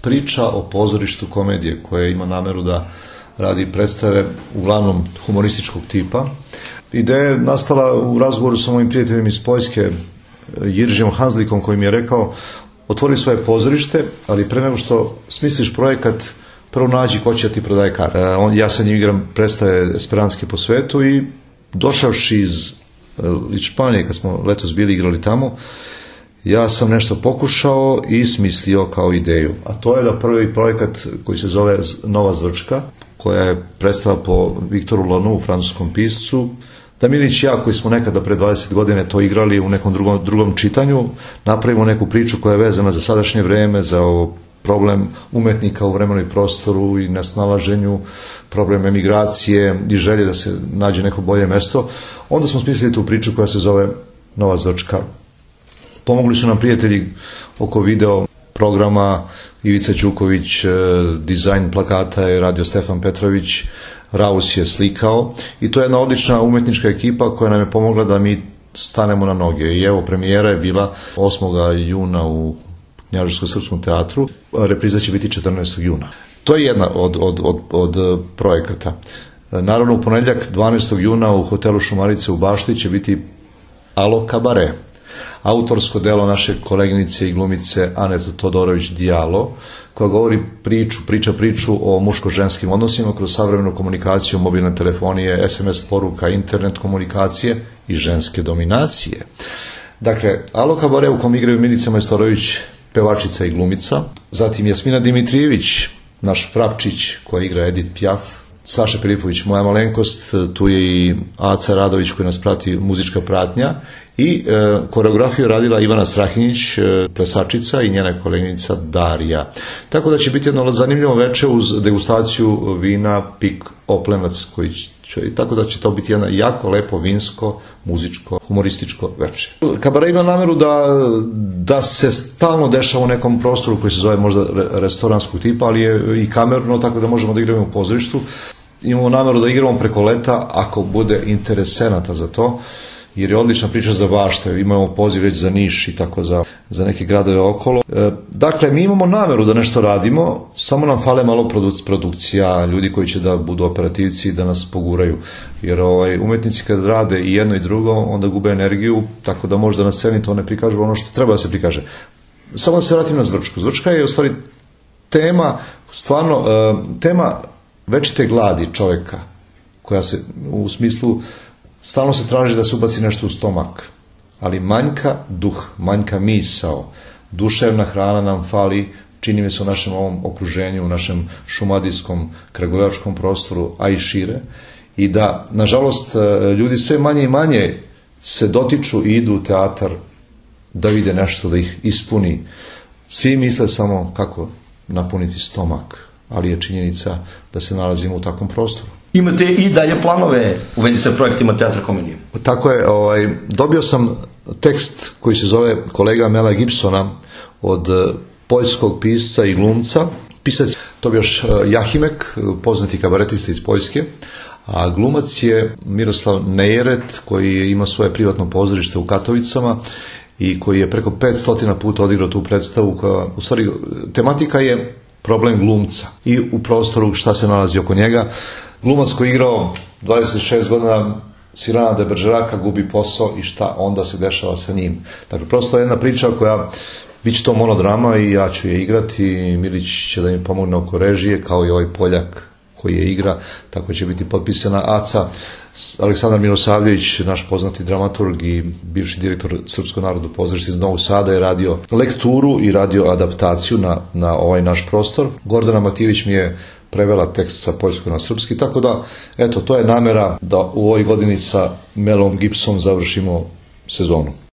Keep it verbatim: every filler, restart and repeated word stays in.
priča o pozorištu komedije koja ima nameru da radi predstave uglavnom humorističkog tipa. Ideja je nastala u razgovoru sa mojim prijateljem iz Poljske, Jiržijom Hanslikom, koji mi je rekao: otvori svoje pozorište, ali pre nego što smisliš projekat, prvo nađi ko će ti prodaje karte. Ja sa njim igram predstave esperanske po svetu i došavši iz Španije, kad smo letos bili igrali tamo, ja sam nešto pokušao i smislio kao ideju. A to je da prvi projekat koji se zove Nova Zvrčka, koja je predstava po Viktoru Lanoux, francuskom piscu, da Milić i ja, koji smo nekada pre dvadeset godine to igrali u nekom drugom, drugom čitanju, napravimo neku priču koja je vezana za sadašnje vreme, za ovo problem umetnika u vremenu i prostoru i nesnalaženju, problem emigracije i želje da se nađe neko bolje mesto. Onda smo smislili tu priču koja se zove Nova Zvrčka. Pomogli su nam prijatelji oko video programa, Ivica Ćuković, dizajn plakata je radio Stefan Petrović, Raus je slikao i to je jedna odlična umetnička ekipa koja nam je pomogla da mi stanemo na noge. I evo, premijera je bila osmog juna u Knjaževsko-srpskom teatru, repriza će biti četrnaestog juna. To je jedna od, od, od, od projekata. Naravno, u ponedjeljak dvanaestog juna u hotelu Šumarice u Bašti će biti Alo kabare, autorsko delo naše koleginice i glumice Anete Todorović Dijalo, koja govori priču, priča priču o muško-ženskim odnosima kroz savremenu komunikaciju, mobilne telefonije, es em es poruka, internet komunikacije i ženske dominacije. Dakle, Alo kabare u kom igraju Milica Majstorović, pevačica i glumica, zatim Jasmina Dimitrijević, naš Frapčić koja igra Edith Piaf, Saša Filipović, moja malenkost, tu je i Aca Radović koji nas prati, muzička pratnja, i e, koreografiju radila Ivana Strahinjić, e, plesačica, i njena koleginica Darija. Tako da će biti jedno zanimljivo veče uz degustaciju vina Pik Oplenac, koji će, tako da će to biti jedno jako lepo vinsko, muzičko, humorističko veče. Kabare ima nameru da, da se stalno dešava u nekom prostoru koji se zove možda restoranskog tipa, ali je i kamerno, tako da možemo da igramo u pozorištu. Imamo nameru da igramo preko leta ako bude interesenata za to, jer je odlična priča za Bašte, imamo poziv već za Niš i tako za, za neke gradove okolo. E, dakle, mi imamo nameru da nešto radimo, samo nam fale malo produc, produkcija, ljudi koji će da budu operativci i da nas poguraju, jer ovaj, umetnici kad rade i jedno i drugo, onda gube energiju, tako da možda na sceni to ne prikažu ono što treba da se prikaže. Samo da se vratim na Zvrčku. Zvrčka je u stvari tema, stvarno, e, tema večite gladi čoveka, koja se u smislu stalno se traži da se ubaci nešto u stomak, ali manjka duh, manjka misao, duševna hrana nam fali, čini mi se u našem ovom okruženju, u našem šumadijskom, kragujevačkom prostoru, a i šire, i da, nažalost, ljudi sve manje i manje se dotiču i idu u teatar da vide nešto, da ih ispuni. Svi misle samo kako napuniti stomak, ali je činjenica da se nalazimo u takvom prostoru. Imate i dalje planove u vezi sa projektima Teatra komedije? Tako je, ovaj, dobio sam tekst koji se zove Kolega Mela Gibsona od poljskog pisca i glumca. Pisac Tobijaš Jahimek, poznati kabaretista iz Poljske, a glumac je Miroslav Nejeret, koji ima svoje privatno pozorište u Katovicama i koji je preko petsto puta odigrao tu predstavu koja, u stvari, tematika je problem glumca i u prostoru šta se nalazi oko njega. Glumac koji je igrao dvadeset šest godina Sirana de Bergeraka gubi posao i šta onda se dešava sa njim. Dakle, prosto je jedna priča koja, bit će to monodrama i ja ću je igrati i Milić će da mi pomogne oko režije, kao i ovaj Poljak koji je igra, tako će biti potpisana Aca. Aleksandar Milosavljević, naš poznati dramaturg i bivši direktor Srpskog narodnog pozorišta iz Novog Sada, je radio lekturu i radio adaptaciju na, na ovaj naš prostor. Gordana Matijević mi je prevela tekst sa poljskog na srpski, tako da, eto, to je namera da u ovoj godini sa Melom Gibsonom završimo sezonu.